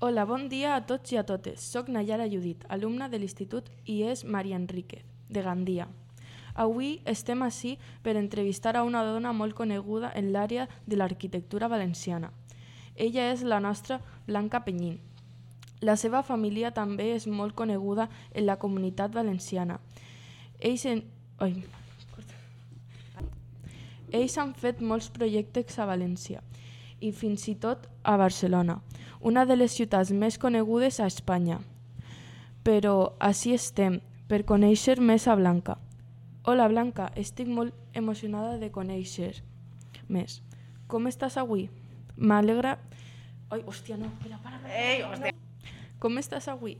Hola, bon dia a tots i a totes. Soc Nayara Judit, alumna de l'Institut IES Maria Enríquez, de Gandia. Avui estem ací per entrevistar a una dona molt coneguda en l'àrea de l'arquitectura valenciana. Ella és la nostra Blanca Penyín. La seva família també és molt coneguda en la comunitat valenciana. Ells han fet molts projectes a València i fins i tot a Barcelona, una de les ciutats més conegudes a Espanya. Però així estem, per conèixer més a Blanca. Hola Blanca, estic molt emocionada de conèixer més. Com estàs avui? M'alegra... Ai, hòstia, no, espera, para. Ei, hòstia. Com estàs avui?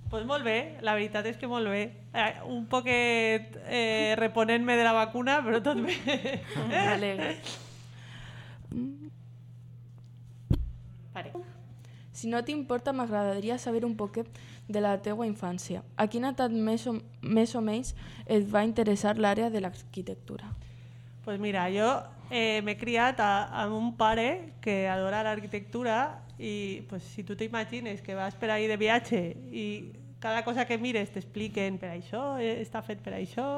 Pues molt bé, la veritat és que molt bé. Un poquet reponent-me de la vacuna, però tot bé. M'alegra. Pare. Si no t'importa, m'agradaria saber un poquet de la teua infància. A quina edat més o menys et va interessar l'àrea de l'arquitectura? Pues mira, jo m'he criat amb un pare que adora l'arquitectura i pues, si tu t'imagines que vas per ahí de viatge i cada cosa que mires t'expliquen per això, està fet per això,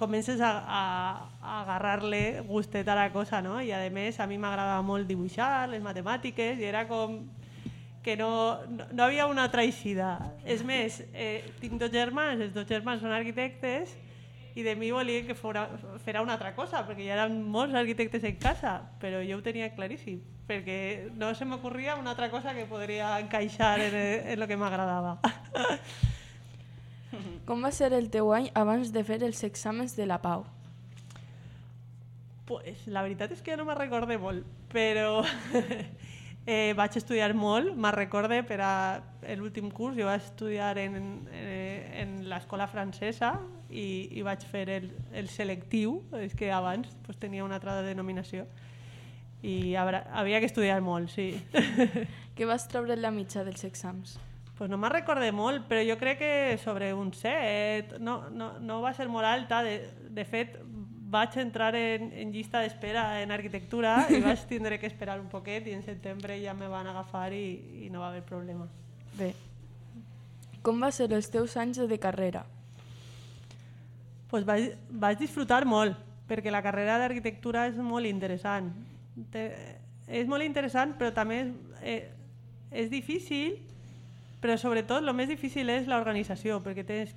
comences a agarrar-le gustet a la cosa, no? I a més a mi m'agradava molt dibuixar, les matemàtiques, i era com que no havia una altra eixida. És més, tinc dos germans, els dos germans són arquitectes i de mi volien que fera una altra cosa, perquè hi eren molts arquitectes en casa, però jo ho tenia claríssim, perquè no se m'ocorria una altra cosa que podria encaixar en el que m'agradava. Com va ser el teu any abans de fer els exàmens de la Pau? Pues, la veritat és que ja no me'n recorde molt, però vaig estudiar molt. Me'n recorde per a l'últim curs, jo vaig estudiar en l'escola francesa i vaig fer el selectiu, és que abans pues, tenia una altra denominació i havia que estudiar molt, sí. Què vas treure en la mitja dels exàmens? Pues no me'n recorde molt, però jo crec que sobre un 7, no va ser molt alta. De fet, vaig entrar en llista d'espera en arquitectura i vaig tindre que esperar un poquet i en setembre ja me van agafar i no va haver problema. Bé, com va ser els teus anys de carrera? Pues vaig disfrutar molt, perquè la carrera d'arquitectura és molt interessant. És molt interessant, però també és difícil, però sobretot el més difícil és l'organització, perquè tens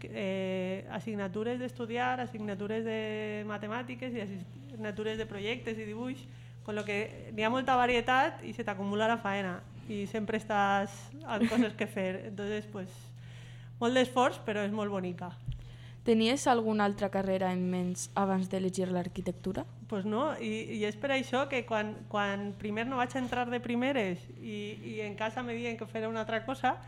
assignatures d'estudiar, assignatures de matemàtiques i assignatures de projectes i dibuix, amb la que n'hi ha molta varietat i se t'acumula la faena i sempre estàs amb coses que fer. Entonces, pues, molt d'esforç, però és molt bonica. Tenies alguna altra carrera en ment abans d'elegir l'arquitectura? Pues no, i és per això que quan primer no vaig entrar de primeres i en casa me diuen que fera una altra cosa,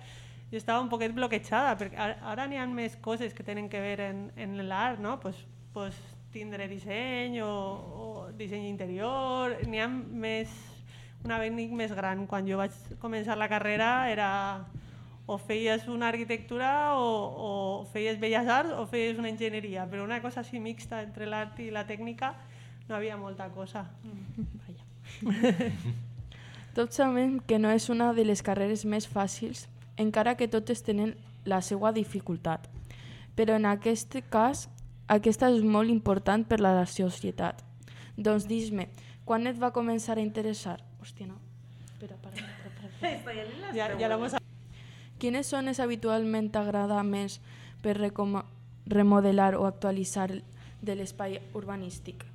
jo estava un poquet bloquejada, perquè ara n'hi ha més coses que tenen que veure en l'art, no? Pues tindre disseny o disseny interior, n'hi ha un abanic més gran. Quan jo vaig començar la carrera era o feies una arquitectura o feies belles arts o feies una enginyeria, però una cosa així mixta entre l'art i la tècnica no havia molta cosa. Tots sabem que no és una de les carreres més fàcils, encara que totes tenen la seva dificultat. Però en aquest cas, aquesta és molt important per a la societat. Doncs dis-me, quan et va començar a interessar? Hòstia, no. Espera. Ja l'hemos... Quines zones habitualment t'agrada més per remodelar o actualitzar de l'espai urbanístic?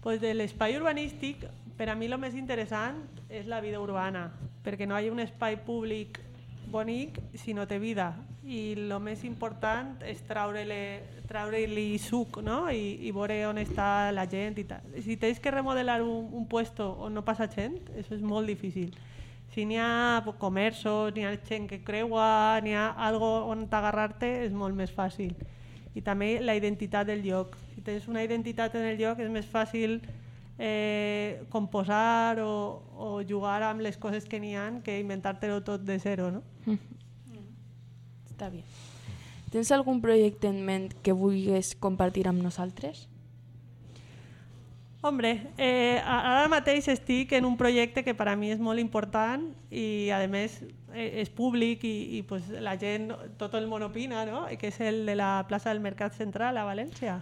Pues de l'espai urbanístic, per a mi el més interessant és la vida urbana, perquè no hi ha un espai públic bonic si no té vida. I el més important és treure-li suc, no? I veure on està la gent i tal. Si tens que remodelar un puesto on no passa gent, això és molt difícil. Si n'hi ha comerços, n'hi ha gent que creua, n'hi ha algo on t'agarrar-te, és molt més fàcil. I també la identitat del lloc. Si tens una identitat en el lloc és més fàcil composar o jugar amb les coses que n'hi ha que inventar-te-ho tot de zero, no? Està bé. Tens algun projecte en ment que vulguis compartir amb nosaltres? Hombre, ara mateix estic en un projecte que per a mi és molt important i a més és públic i pues, la gent, tot el món opina, no? Que és el de la plaça del Mercat Central a València,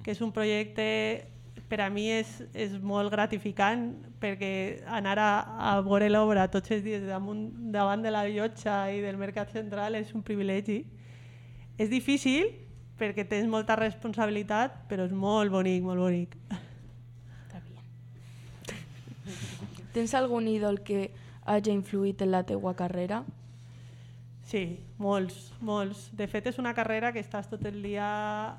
que és un projecte per a mi és molt gratificant perquè anar a veure l'obra tots els dies davant de la llotja i del Mercat Central és un privilegi. És difícil perquè tens molta responsabilitat, però és molt bonic, molt bonic. Tens algun ídol que hagi influït en la teua carrera? Sí, molts, molts. De fet, és una carrera que estàs tot el dia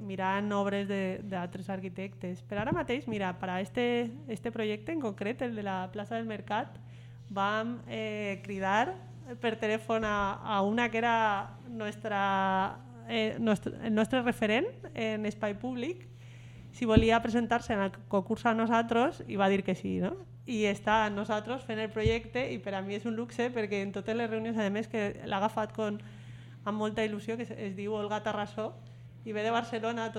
mirant obres d'altres arquitectes. Per ara mateix, mira, per a este projecte en concret, el de la plaça del Mercat, vam cridar per telèfon a una que era el nostre referent en espai públic, si volia presentar-se en el concurs a nosaltres i va dir que sí, no? I està amb nosaltres fent el projecte i per a mi és un luxe perquè en totes les reunions, a més, que l'ha agafat amb molta il·lusió, que es diu Olga Tarrasó, i ve de Barcelona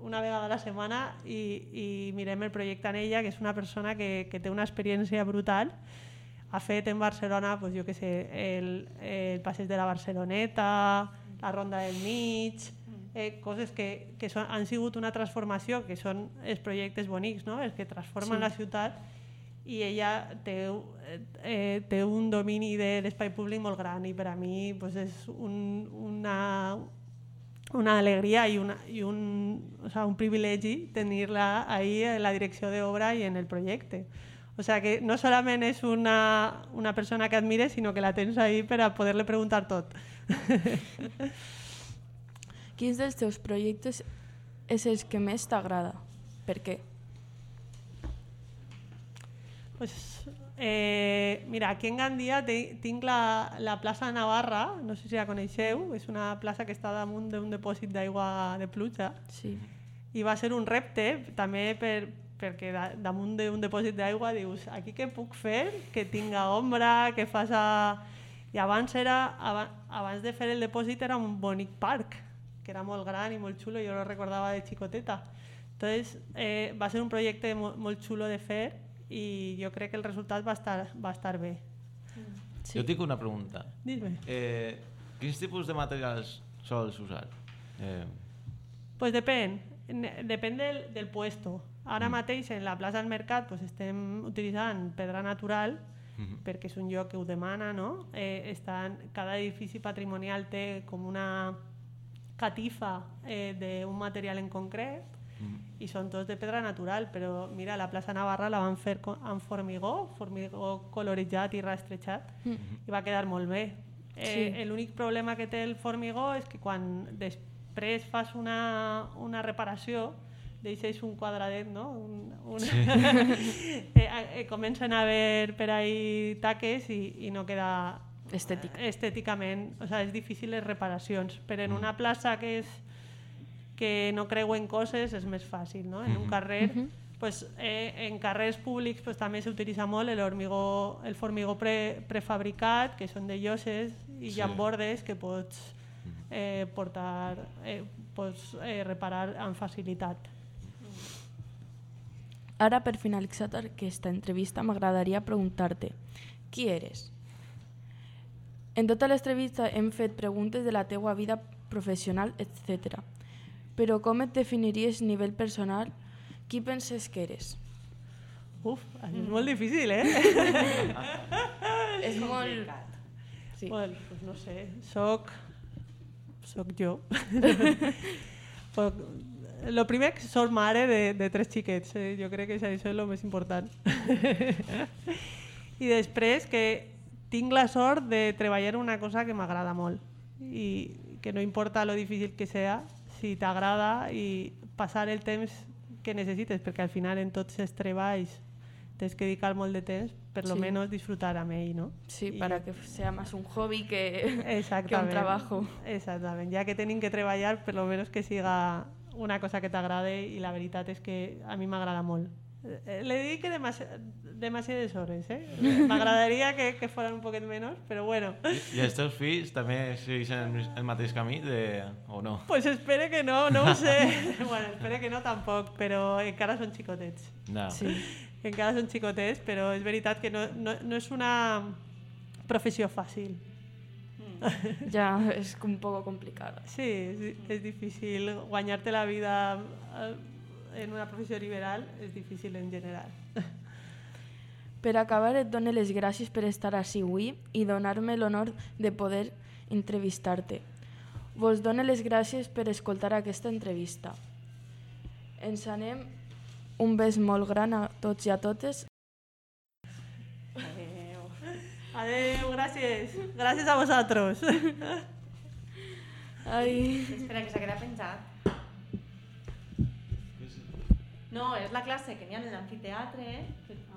una vegada a la setmana i mirem el projecte en ella, que és una persona que té una experiència brutal. Ha fet en Barcelona, pues, jo què sé, el passeig de la Barceloneta, la Ronda del Mig, coses que han sigut una transformació, que són els projectes bonics, no? Els que transformen la ciutat, i ella té un domini de l'espai públic molt gran i per a mi pues, és una alegria i un privilegi tenir-la ahí en la direcció d'obra i en el projecte. O sea que no solament és una persona que admires, sinó que la tens ahí per a poder-li preguntar tot. Quins dels teus projectes és el que més t'agrada? Per què? Pues, mira, aquí en Gandia tinc la plaça Navarra, no sé si la coneixeu, és una plaça que està damunt d'un dipòsit d'aigua de pluja. Sí. I va ser un repte, també perquè damunt d'un dipòsit d'aigua dius, aquí què puc fer que tinga ombra, que faça... I abans de fer el dipòsit era un bonic parc, que era molt gran i molt xulo, jo lo recordava de xicoteta. Entonces, va ser un projecte molt xulo de fer i jo crec que el resultat va estar bé. Sí. Jo tinc una pregunta. Dime. Quins tipus de materials sols usar? Pues depèn del puesto. Ara mateix en la plaça del Mercat pues, estem utilitzant pedra natural perquè és un lloc que ho demana, no? Cada edifici patrimonial té com una catifa d'un material en concret i són tots de pedra natural, però mira, la plaça Navarra la van fer amb formigó coloritzat i rastrejat i va quedar molt bé. L'únic problema que té el formigó és que quan després fas una reparació deixes un quadradet, no? Comencen a haver per ahí taques i no queda estèticament, o sigui, és difícil les reparacions, però en una plaça que no creuen coses és més fàcil, no? En un carrer, pues, en carrers públics pues, també s'utilitza molt el formigó prefabricat, que són de lloses i hi ha bordes que pots reparar amb facilitat. Ara, per finalitzar aquesta entrevista, m'agradaria preguntar-te qui eres? En tota l'entrevista hem fet preguntes de la teua vida professional, etc. Però com et definiries a nivell personal? Qui penses que eres? És molt difícil, És molt... Sí. Bueno, pues no sé, soc jo. Lo primer que soc mare de 3 xiquets, jo crec que això és el més important. I després que tinc la sort de treballar una cosa que m'agrada molt i que no importa lo difícil que sea, si t'agrada i passar el temps que necessites, perquè al final en tots els treballs tens que dedicar molt de temps, per lo menos disfrutar amb ell, ¿no? Sí, para que sea más un hobby que un trabajo. Exactament, ja que tenim que treballar, per lo menos que siga una cosa que t'agrade i la veritat és que a mi m'agrada molt Le dedique demasiades hores, eh? M'agradaria que foren un poquet menys, però bueno. I els teus fills també segueixen el mateix camí o no? Pues espere que no ho sé. Bueno, espere que no tampoc, però encara són xicotets. No. Sí. Encara són xicotets, però és veritat que no és una professió fàcil. Ja és un poco complicada. Sí, és difícil. Guanyar-te la vida en una professió liberal és difícil en general. Per acabar, et dono les gràcies per estar ací avui i donar-me l'honor de poder entrevistar-te. Vos dono les gràcies per escoltar aquesta entrevista. Ens anem un bes molt gran a tots i a totes. Adeu, gràcies. Gràcies a vosaltres. Ai... Espera, que s'ha quedat penjat. No, és la classe que n'hi ha en l'amfiteatre,